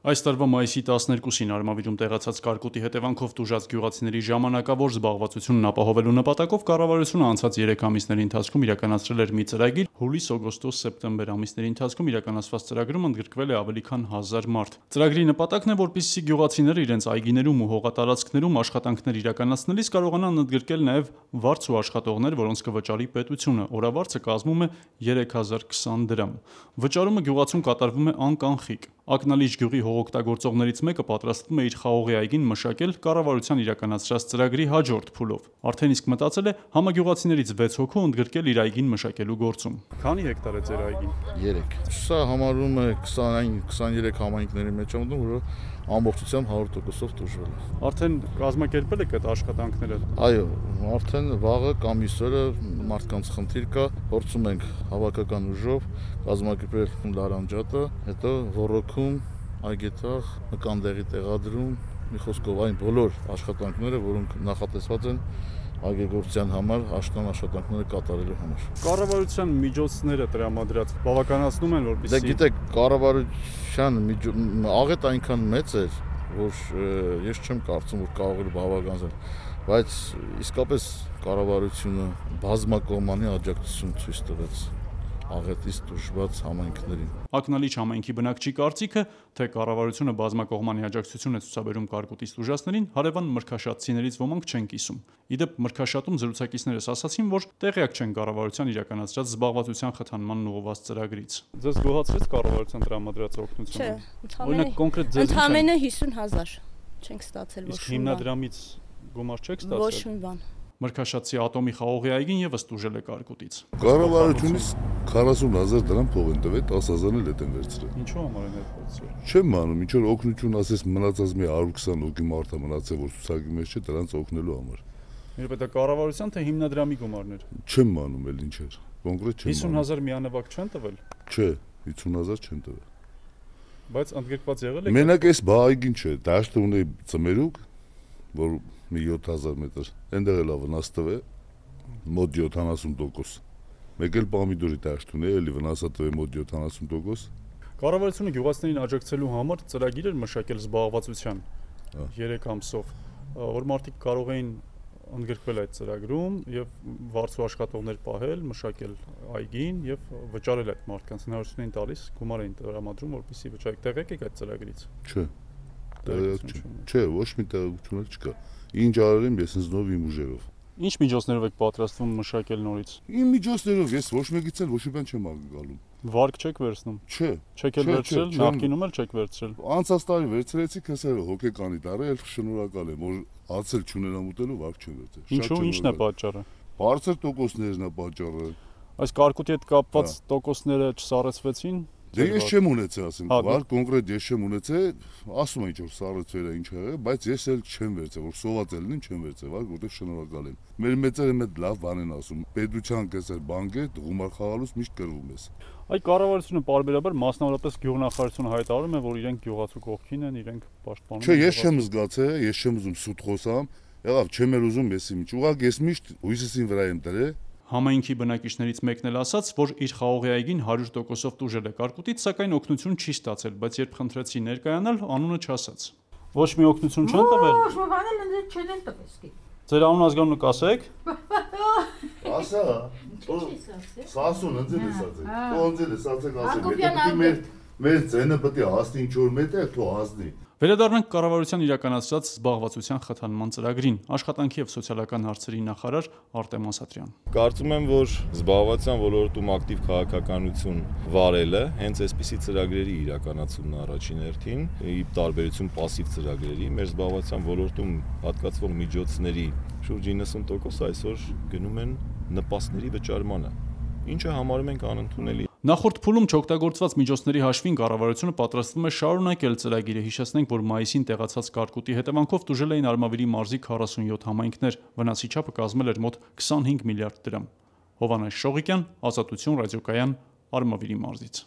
Այս տարվա մայիսի 12-ին Արմավիրում տեղացած կարկուտի հետևանքով տուժած գյուղացիների ժամանակավոր զբաղվածությունն ապահովելու նպատակով կառավարությունը անցած 3 ամիսների ընթացքում իրականացրել էր մի ծրագիր։ Հուլիս, օգոստոս, սեպտեմբեր ամիսների ընթացքում իրականացված ծրագրում ընդգրկվել է ավելի քան 1000 մարդ։ Ծրագրի նպատակն է, որպեսզի գյուղացիները իրենց այգիներում ու հողատարածքներում աշխատանքներ իրականացնելիս կարողանան ընդգրկել նաև վարձ ու աշխատողներ, որոնց կվճարի պետությունը։ Օրավարձը կազմում է 3020 դրամ։ Վճարումը գյուղացուն կատարվում է անկանխիկ։ Ակնալիջ գյուղի հողօգտագործողներից մեկը պատրաստվում է իր խաղողի այգին մշակել կառավարության իրականացրած ծրագրի հաջորդ փուլով։ Արդեն իսկ մտածել է համագյուղացիներից 6 հոգու ընդգրկել իր այգին մշակելու գործում։ Քանի հեկտար է ձեր այգին։ 3։ Սա համարվում է 20-23 համայնքների մեջ ամդում, որը ամբողջությամբ 100%-ով տուժվել է։ Արդեն կազմակերպել եք այդ աշխատանքները։ Այո, արդեն վաղը կամ իսօրը մարդկանց խնդիր կա, փորձում ենք հավաքական ուժով կազմակերպել լարանջատը, հետո ռոռոքում, այգեթաղ, նկանդեղի տեղադրում, մի խոսքով այն բոլոր աշխատանքները, որոնք նախատեսված են այգեգործության համար, աշխատանքները կատարելու համար։ Կառավարության միջոցները տրամադրած բավականացնում են, որպեսզի։ Դե գիտեք, կառավարության աղետ այնքան մեծ էր, որ ես չեմ կարծում, որ կարող էր բավականացնել, բայց իսկապես կառավարությունը բազմակողմանի աջակցություն ցույց տվեց աղետից տուժված համայնքներին։ Ակնալիչ համայնքի բնակչի կարծիքը, թե կառավարությունը բազմակողմանի աջակցություն է ցուցաբերում կարկուտից տուժածներին, հարևան մրգաշատցիներից ոմանք չեն կիսում։ Իդեպ մրգաշատում զրուցակիցներս ասացին, որ տեղյակ չեն կառավարության իրականացրած զբաղվածության խթանմանն ուղղված ծրագրից։ Ձեզ գոհացրեց կառավարության տրամադրած օգնությունը։ Օրինակ կոնկրետ ձեզ ընդամենը 50,000 չենք ստացել, ոչ մի բան։ Իսկ հիմնադրամից գումար չեք ստացել։ Ոչ մի բան։ Մրգաշատցի ատոմի խաղողի այգին եւս տուժել է կարկուտից։ Կառավարությունից 40,000 դրամ փող են տվել, 10,000-ը հետ են վերցրել։ Ինչու համար են վերցրել։ Չեմ անում, ինչ որ օգնություն ասես մնացած մի 120 հոգի մարդ է մնացել, որ ցուցակի մեջ չէ, դրանց օգնելու համար։ Երբ դա կառավարության թե հիմնադրամի գումարներ։ Չեմ անում էլ ինչ էր։ Կոնկրետ չեմ անում։ 50,000 միանվագ չեն տվել։ Չէ, 50,000 չեն տվել։ Բայց ընդգրկված եղել է։ Մենակ այս բահայգին չէ, դաշտը ունի ծմերուկ, որ մի 7000 մետր, այնտեղ էլ վնաս տվել մոտ 70%։ Մեկ էլ պամիդորի դաշտ ունի, էլի վնասը տվել մոտ 70%։ Կառավարությունը գյուղացիներին աջակցելու համար ծրագիր էր մշակել զբաղվածության 3 ամսով, որ մարդիկ կարող էին ընդգրկվել այդ ծրագրում եւ վարձու աշխատողներ պահել, մշակել այգին եւ վճարել այդ մարդկանց հնարավորություն էին տալիս, գումար էին տրամադրում, որպեսզի վճարեք։ Տեղյակ եք այդ ծրագրից։ Չէ։ Չէ, ոչ մի տեղեկություն չկա։ Ինչ արել եմ ես ինձ նով իմ ուժերով։ Ինչ միջոցներով եք պատրաստվում մշակել նորից։ Իմ միջոցներով ես ոչ մեկից էլ ոչ մի բան չեմ ակալում։ Վարկ չեք վերցնում։ Չէ։ Չեք էլ վերցրել, նախկինում էլ չեք վերցրել։ Անցած տարի վերցրեցի, քսերը հոգեկանի տարել, շնորհակալ եմ, որ ացել չունենամ ուտելու վարկ չեմ վերցրել։ Ինչն է պատճառը։ Բարձր տոկոսներն է պատճառը։ Այս կարկուտի հետ կապված տոկոսները չսառեցվեցին։ Դե ես չեմ ունեցել, ասենք, վար կոնկրետ ես չեմ ունեցել, ասում են ինչ որ սառեցվել է ինչ եղել, բայց ես էլ չեմ վերցել, որ սոված ելնին չեմ վերցել, վար որտեղ շնորհակալ եմ։ Մեր մեծերը մեծ լավ բան են ասում, պետության կեսեր բանկե գումար խաղալուց միշտ կրվում ես։ Այ կառավարությունը պարբերաբար մասնավորապես գյուղնախարարությունը հայտարարում է, որ իրենք գյուղացու կողքին են, իրենք պաշտպանում են։ Չէ, ես չեմ զգացել, ես չեմ ուզում սուտ խոսամ, եղավ, չեմ էլ ուզում ես ինչ, ուղղակի ես միշտ հույսին վրա եմ դրել։ Համայնքի բնակիչներից մեկն էլ ասաց, որ իր խաղողի այգին 100%-ով տուժել է կարկուտից, սակայն օգնություն չի ստացել, բայց երբ խնդրեցի ներկայանալ, անունը չասաց։ Ոչ մի օգնություն չեն տվել։ Ոչ մի բան էլ չեն տվել։ Ձեր անուն ազգանունը կասեք։ Ասա։ Սասուն ընձել է ասացեք։ Թող ընձել է ասացեք ասեք։ Մեր ցենը պետք է հասնի ինչ որ մետեղ, թող հասնի։ Վերադառնանք կառավարության իրականացրած զբաղվածության խթանման ծրագրին, աշխատանքի եւ սոցիալական հարցերի նախարար Արտեմ Ասատրյան։ Կարծում եմ, որ զբաղվածության ոլորտում ակտիվ քաղաքականություն վարելը հենց այսպիսի ծրագրերի իրականացումն առաջին հերթին, ի տարբերություն պասիվ ծրագրերի, մեր զբաղվածության ոլորտում հատկացվող միջոցների շուրջ 90% այսօր գնում են նպաստների վճարմանը, ինչը համարում ենք անընդունելի։ Նախորդ փուլում չօգտագործված միջոցների հաշվին կառավարությունը պատրաստվում է շարունակել ծրագիրը։ Հիշեցնենք, որ մայիսին տեղացած կարկուտի հետևանքով տուժել էին Արմավիրի մարզի 47 համայնքներ, վնասի չափը կազմել էր մոտ 25 միլիարդ դրամ։ Հովհաննես Շողիկյան, Ազատություն ռադիոկայան, Արմավիրի մարզից։